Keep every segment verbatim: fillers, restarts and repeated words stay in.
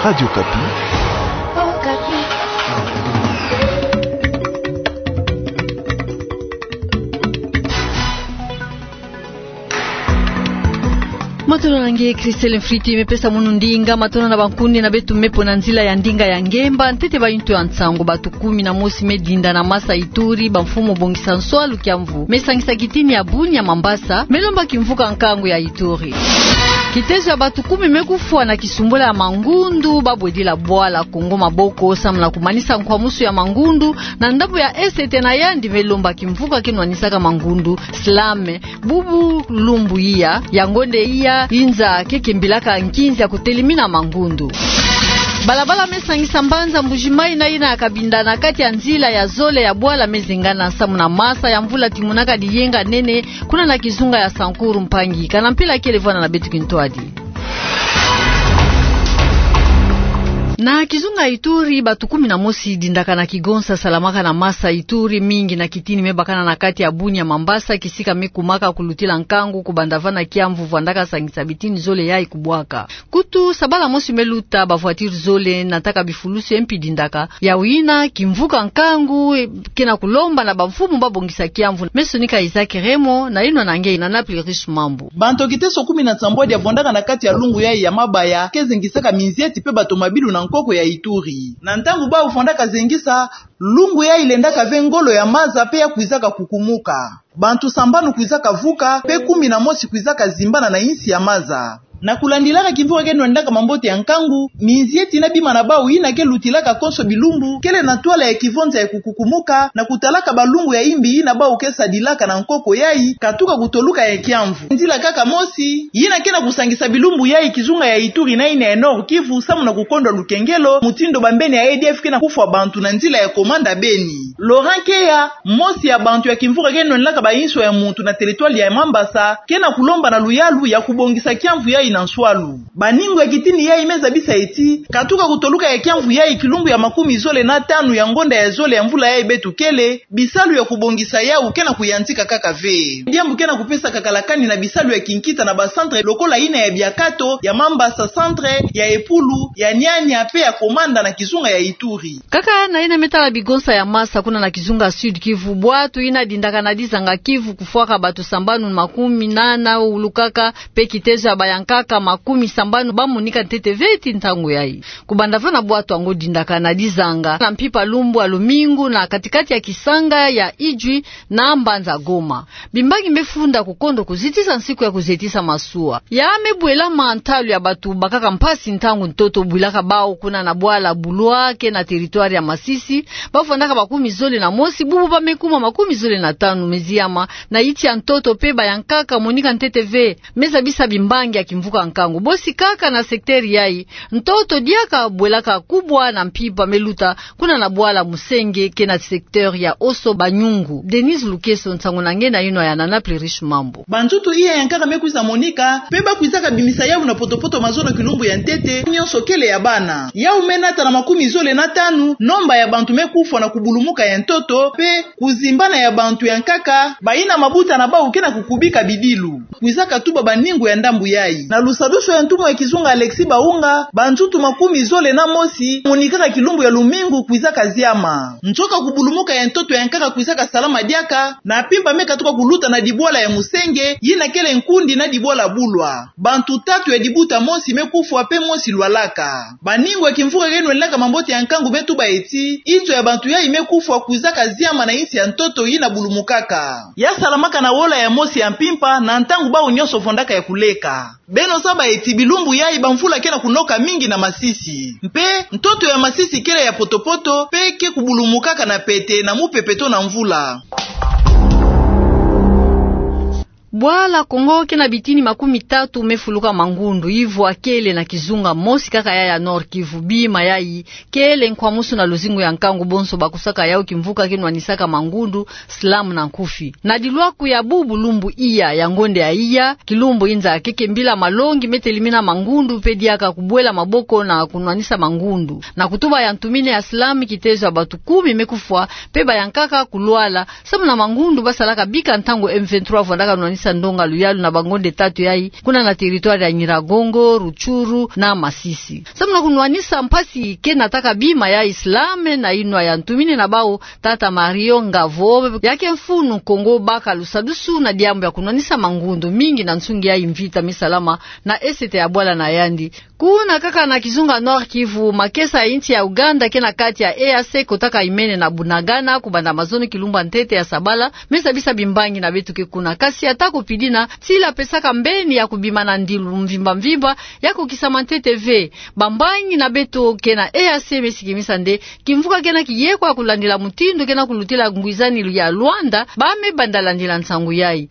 Radio Okapi. Matondo na nge, Christelle Mfriti, me pesa munu ndinga. Matondo na bankundi na beto me pona nzila ya ndinga ya ngemba. Ntete ba yintu ya nsangu: batu kumi na mosi me dinda na masa Ituri, bamfumu bongisa nswalu, kiamvu me sangisa kitini ya Bunia, Mambasa me lomba kimvuka nkangu ya Ituri. Kitezo ya batu kumi me kufwa na kisumbula ya mangundu ba bwedila bwala Kongo maboko samu na kumanisa nkwamusu ya mangundu na ndambu ya Est, na yandi me lomba kimvuka ke nwanisaka mangundu, slam, bubu lumbu iya ya ngonde iya inza ke kembilaka nkinzi ya kutelimina mangundu. Balabala me sangisa mbanza Mbuji-Mayi na yina ya Cabinda na kati ya nzila ya zole ya bwala me zengana samu na masa ya mvula timunaka diyenga nene kuna na kizunga ya Sankuru. Mpangi, kana mpila kele vwanda na beto kintwadi. Na kizunga Ituri, batu kumi na mosi dindaka na kigonsa salamaka na masa Ituri, mingi na kitini me bakana na kati ya Bunia, Mambasa, kisika me kumaka kulutila nkangu kubanda vana kiamvu vwandaka sangisa bitini zole yayi kubwaka. Kutu, sabala mosi me luta, ba voiture zole nataka bifulusi mpi dindaka. Yawu yina kimvuka nkangu, e, ke na kulomba na bamfumu ba bongisa kiamvu. Me sonika Isaac Remo na yinwa na nge Nana Plurish Mambu. Bantu kiteso kumi na nsambwadi ya vwandaka na kati ya lungu yayi ya mabaya ke zengisaka minzieti pe batomabilu na nkoko ya Ituri. Na ntangu bau vwandaka zengisa, lungu yayi lendaka ve ngolo ya maza pe ya kwizaka kukumuka. Bantu sambanu kwizaka vuka, pe kumi na mosi kwizaka zimbana na insi ya maza. Na kulandilaka kimvuka ke nwendaka mambote ya nkangu, minzieti na bima na bau yina ke lutilaka konso bilumbu kele na ntwala ya kivonza ya kukukumuka, na kutalaka balungu ya imbi yina bau ke sadilaka na nkoko yayi, katuka kutoluka ya kiamvu. Nzila kaka mosi yina ke na kusangisa bilumbu yayi kizunga ya Ituri na yina ya Nord-Kivu samu na kukondwa lukengelo, mutindu bambeni ya A D F ke na kufwa bantu na nzila ya Komanda Beni. Laurent Keya, mosi ya bantu ya kimvuka ke nwendaka ba inswa ya muntu na territoire ya Mambasa, ke na kulomba na luyalu ya kubongisa kiamvu yayi na nswalu. Baningu ya kitini yayi me zabisa ti, katuka kutoluka ya kiamvu yayi kilumbu ya makumi zole na tanu ya ngonda ya zole ya mvula yayi beto kele, bisalu ya kubongisa yawu ke na kuyantika kaka ve. Diambu ke na kupesa kakalakani na bisalu ya kinkita na ba centre lokola yina ya Biakato, ya Mambasa Centre, ya Epulu, ya Niania pe ya Komanda na kizunga ya Ituri. Kaka na yina me tala bigonsa ya masa kuna na kizunga Sud-Kivu, bwatu yina dindaka na dizanga Kivu kufwaka batu sambanu makumi nana wulukaka, pe kitezo ya bayankaka makumi sambanu ba monika ntete ve ti ntangu yayi. Kubanda vana bwatu yango dindaka na dizanga na mpimpa lumbu ya lumingu na katikati ya kisanga ya Idjwi na mbanza Goma. Bimbangi me funda kukondo kuzitisa nsiku ya kuzitisa masuwa. Ya me bwela ma ntalu ya batu bakaka mpasi ntangu ntoto bwilaka bau kuna na bwala Bulwa ke na territoire ya Masisi. Ba vwandaka makumi zole na mosi, bubu ba me kuma makumi zole na tanu me ziama na yiti ya ntoto pe bayankaka monika ntete ve. Me zabisa bimbangi ya kimvuka nkangu. Bosi kaka na secteur yayi, ntoto diaka bwelaka kubwa na mpimpa me luta kuna na bwala Musenge ke na secteur ya Oso Banyungu. Denise Lukeso, nsangu na nge na yinwa ya Nana Plurish Mambu. Banzutu iya yankaka me kwiza monika, pe ba kwizaka bimisa yawu na potopoto mazono kilumbu ya ntete, nyonso kele ya bana. Yawu me nata na makumi zole na tanu nomba ya bantu me kufwa na kubulumuka ya ntoto, pe kuzimbana ya bantu yankaka, bayina mabuta na bau ke na kukubika bidilu. Kwizaka tuba baningu ya ndambu yayi. Na lusadusu ya ntumwa ya kizunga Alexis Baunga, banzutu makumi zole na mosi monikaka kilumbu ya lumingu kwizaka ziama. Nzoka kubulumuka ya ntoto yankaka kwizaka salama diaka, na mpimpa me katuka kuluta na dibwala ya Musenge, yina kele nkundi na dibwala Bulwa. Bantu tatu ya dibuta mosi me kufwa pe mosi lwalaka. Baningu ya kimvuka ke nwendaka mambote ya nkangu me tuba ti, inzo ya bantu yayi me kufwa kwizaka ziama na insi ya ntoto yina bulumukaka. Ya salamaka na wola ya mosi ya mpimpa na ntangu bau nyonso vwandaka ya kuleka. Beno zaba ti bilumbu yayi bamvula ke na kunoka mingi na Masisi. Mpe ntoto ya Masisi kele ya potopoto, pe ke kubulumukaka na pete na mupepe to na mvula. Bwala Kongo ke na bitini makumi tatu me fuluka mangundu, yivwa kele na kizunga mosi kaka ya ya Nord-Kivu. Bima yayi kele nkwamusu na luzingu ya nkangu bonso bakusaka yawu kimvuka ke nwanisaka mangundu, slam na nkufi. Na dilwaku ya bubu lumbu iya ya ngonde ya iya, kilumbu inza ke kembila malongi me telimina mangundu, pe diaka kubwela maboko na kunwanisa mangundu. Na kutuba ya ntumine ya slam, kitezo ya batu kumi me kufwa, pe bayankaka kulwala, samu na mangundu basalaka bika ntangu M vingt-trois vwandaka nwanisa ndonga luyalu na bangonde tatu yayi, kuna na territoire ya Nyiragongo, Rutshuru na Masisi. Samu na kunwanisa mpasi ke nataka bima ya Islam na inwa ya ntumini na bau, tata Mario Ngavo, yake mfunu Kongo baka lusadusu na diambu ya kunwanisa mangundu mingi na nsungi ya mvita me salama na esete ya bwala na yandi. Kuna kaka na kizunga Nord-Kivu, makesa ya insi ya Ouganda ke na kati ya E A C kotaka imene na Bunagana, kubanda mazono kilumbu ya ntete ya sabala, me zabisa bimbangi na beto ke kuna. Kasi ata ko pidi na, sila pesaka mbeni ya kubima na ndilu mvimba mvimba, ya kukisama ntete ve. Bambangi na beto ke na E A C me sikimisa nde, kimvuka ke na kiye kwa kulandila mutindu ke na kulutila ngwizani ya Luanda, ba me banda landila nsangu yayi.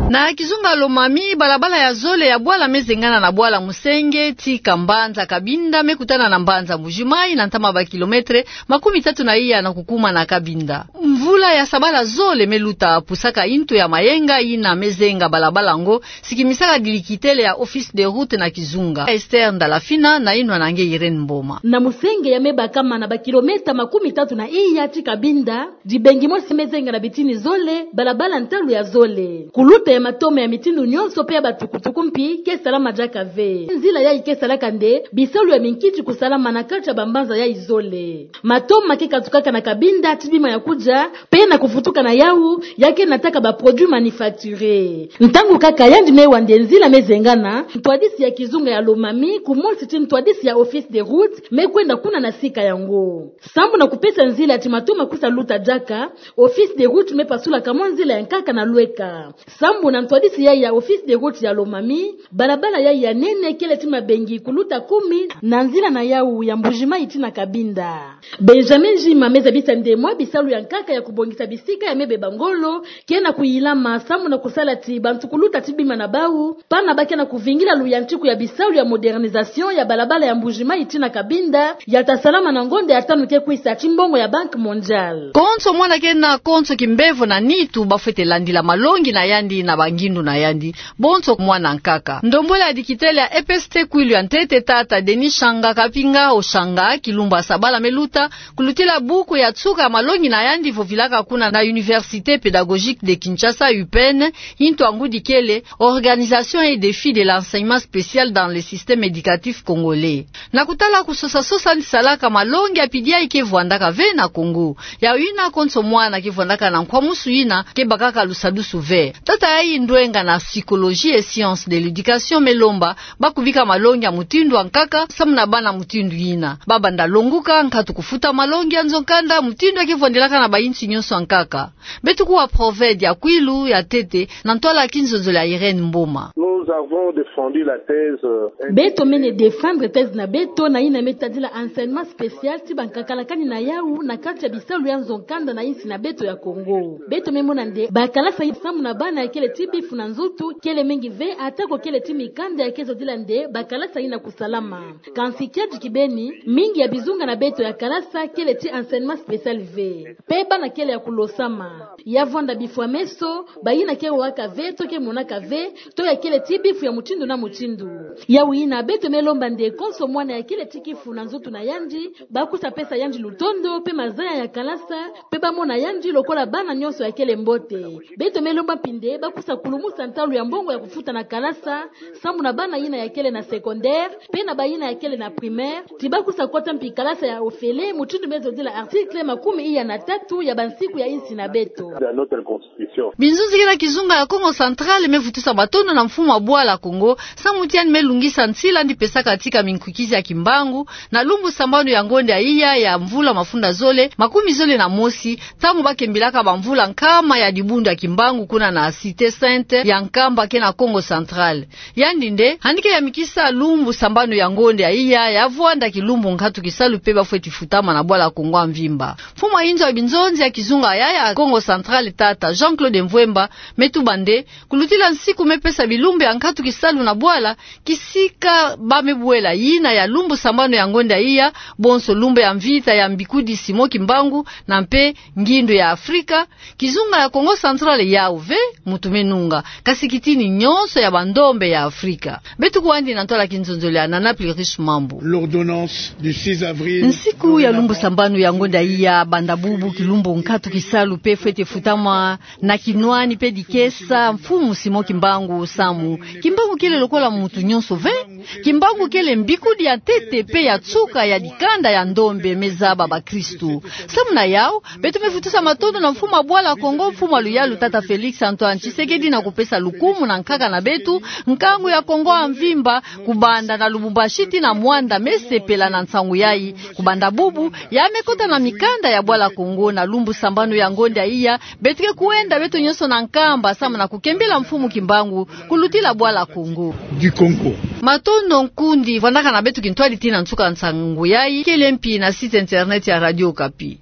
Na kizunga Lomami, balabala ya zole ya bwala me zengana na bwala Musenge, tika mbanza Cabinda, me kutana na mbanza Mbujimayi, na ntama ba kilometre makumi tatu na iya na kukuma na Cabinda. Mvula ya sabala zole me luta pusaka intu ya mayenga yina me zenga balabala ngo, sikimisaka dilikitele ya Office de Route na kizunga. Esther Ndalafina na inwa na nge Irène Mboma. Na Musenge ya me bakama na ba kilomètre makumi tatu na iya ti Cabinda, dibengi mosi me zenga na bitini zole, balabala ntalu ya zole. Kuluta ya matoma ya mitindu nyonso pe ya batukutuku mpi ke salama diaka ve. Nzila yayi ke salaka nde bisalu ya minkiti kusalama na kati ya bambanza yayi zole. Matoma ke katukaka na Cabinda ti bima ya kudia, pe na kuvutuka na yawu, ya ke nataka ba produits manufacturés. Ntangu kaka yandi me wa nde nzila me zengana, ntwadisi ya kizunga ya Lomami, kumosi ti ntwadisi ya Office de Route, me kwenda kuna na sika yango. Sambu na kupesa nzila ti matoma kusa luta diaka, Office de Route me pasulaka mwa nzila ya nkaka na lweka. Sambu na ntwadisi yayi ya Office de Route ya Lomami, balabala yayi ya nene kele ti mabengi kuluta kumi na nzila na yawu ya Mbujimayi ti na Cabinda. Benjamin Jima me zabisa nde mwa bisalu ya nkaka ya kubongisa bisika ya me beba ngolo, ke na kuyilama sambu na kusala ti bantu kuluta ti bima na bawu, pana ba ke na kuvingila luyantiku ya bisalu ya modernisation ya balabala ya Mbujimayi ti na Cabinda, ya ta salama na ngonda ya tanu ke kwisa ti mbongo ya Banque Mondiale. Konso mwana ke na konso kimbevo na nitu ba fwete landila malongi na yandi na bangindu na yandi, bonso mwana nkaka. Ndombolo ya dikitele ya E P S T kwilu ya ntete tata Denis Shanga Kapinga Oshanga, kilumbu ya sabala me luta, kulutila buku ya nsuka ya malongi na yandi vovilaka kuna na Université Pédagogique de Kinshasa, U P N, intu ngudi kele Organisation et défis de l'enseignement spécial dans le système éducatif congolais. Na kutala kusosa-sosa yandi salaka malongi ya pidi yayi ke vwandaka ve na Kongo. Yawu yina konso mwana ke vwandaka na nkwamusu yina ke bakaka lusadusu ve. Tata yayi ndwenga na psychologie et sciences de l'éducation me lomba ba kubika malongi ya mutindu ya nkaka, samu na bana mutindu yina ba banda longuka, nkatu kufuta malongi ya nzo-nkanda, mutindu ya ke vwandelaka na bayinsi nyonso ya nkaka. Beto kuwa Proved ya kwilu ya ntete, na ntwala ya kinzonzolo ya Irène Mboma. Nous avons défendu la thèse, euh, Beto mene défendre thèse na beto na yina me tadila enseignement spécial ti bankaka la kani na yawu na kati ya bisalu ya nzo-nkanda na yinsi na beto ya Kongo. Beto me mona nde bakalasa yina samu na bana ya kele ti bifu na nzutu kele mingi ve, ata ko kele ti mikanda ya ke zodila nde bakalasa yina kusalama. Kansi kiadi kibeni, mingi ya bizunga na beto ya kalasa kele ti enseignement spécial ve. Pe bana kele ya kulosama. Ya vwanda bifu ya meso, bayina ke wawaka ve, to ke monaka ve, to ya kele ti bifu ya mutindu na mutindu. Yawu yina beto me lomba nde konso mwana ya kele ti kifu na nzutu na yandi, ba kusa pesa yandi lutondo, pe mazaya ya kalasa, pe ba mona yandi lokola bana nyonso ya kele mbote. Beto me lomba mpi nde ba kusa kulumusa ntalu ya mbongo ya kufuta na kalasa, samu na bana yina ya kele na secondaire, pe na bayina ya kele na primaire, ti ba kusa kota mpi kalasa ya ofele, mutindu me zodila article makumi iya na tatu ya bansiku ya yinsi na beto. Dans notre constitution. Binzonzi kina kizunga ya Kongo Central me vutusa matondo na mfumu wa bwala Kongo, samu ti yandi me lungisa nsila yandi pesaka tika minkukizi ya kimbangu, na lumbu sambanu ya ngonda ya iya ya mvula mafunda zole, makumi zole na mosi, ntangu ba kembilaka bamvula nkama ya dibundu ya kimbangu kuna na Cité Sainte ya Nkamba ke na Kongo Central. Yandi nde, yandi ke yamikisa lumbu sambanu ya ngonda ya iya, ya vwanda kilumbu nkatu kisalu pe ba fweti futama na bwala Kongo ya mvimba. Mfumu wa inzo ya binzonzi ya kizunga ya ya Kongo Central tata Jean-Claude Mvuemba, me tuba nde, kulutila nsiku me pesa bilumbu ya nkatu kisalu na bwala, kisika ba me bwela yina ya lumbu sambanu ya ngonda ya iya, bonso lumbu ya mvita ya mbikudi Simon Kimbangu, na mpe ngindu ya Afrika, kizunga ya Kongo Central yawu ve, mutu me nunga, kasi kitini nyonso ya bandombe ya Afrika. Beto kuwa yandi na ntwala kinzonzolo ya Nana Plurish Mambu. L'ordonnance du six avril. Nsiku ya lumbu sambanu ya ngonda ya iya, banda bubu kilumbu Nkatu kisalu pe fwete futama na kinwani pe dikesa Mfumu Simon Kimbangu samu: Kimbangu kele lokola muntu nyonso ve. Kimbangu kele mbikudi ya ntete pe ya nsuka ya dikanda ya ndombe me zaba bakristu. Samu na yau, beto me futusa matondo na mfumu wa bwala Kongo, mfumu wa luyalu tata Felix Antoine Tshisekedi, na kupesa lukumu na nkaka na beto, nkangu ya Kongo ya mvimba, kubanda na Lubumbashi tii na Muanda, me sepela na nsangu yayi. Kubanda bubu, ya me kota na mikanda ya bwala Kongo. Na lumbu sambanu ya ngonda iya, beto ke kwenda beto nyonso na Nkamba samu na kukembela Mfumu Kimbangu kulutila bwala Kongo. Du Congo. Matondo nkundi, vwandaka na beto kintwadi tii na nsuka nsangu yayi. Kele mpi na site internet ya Radio Okapi.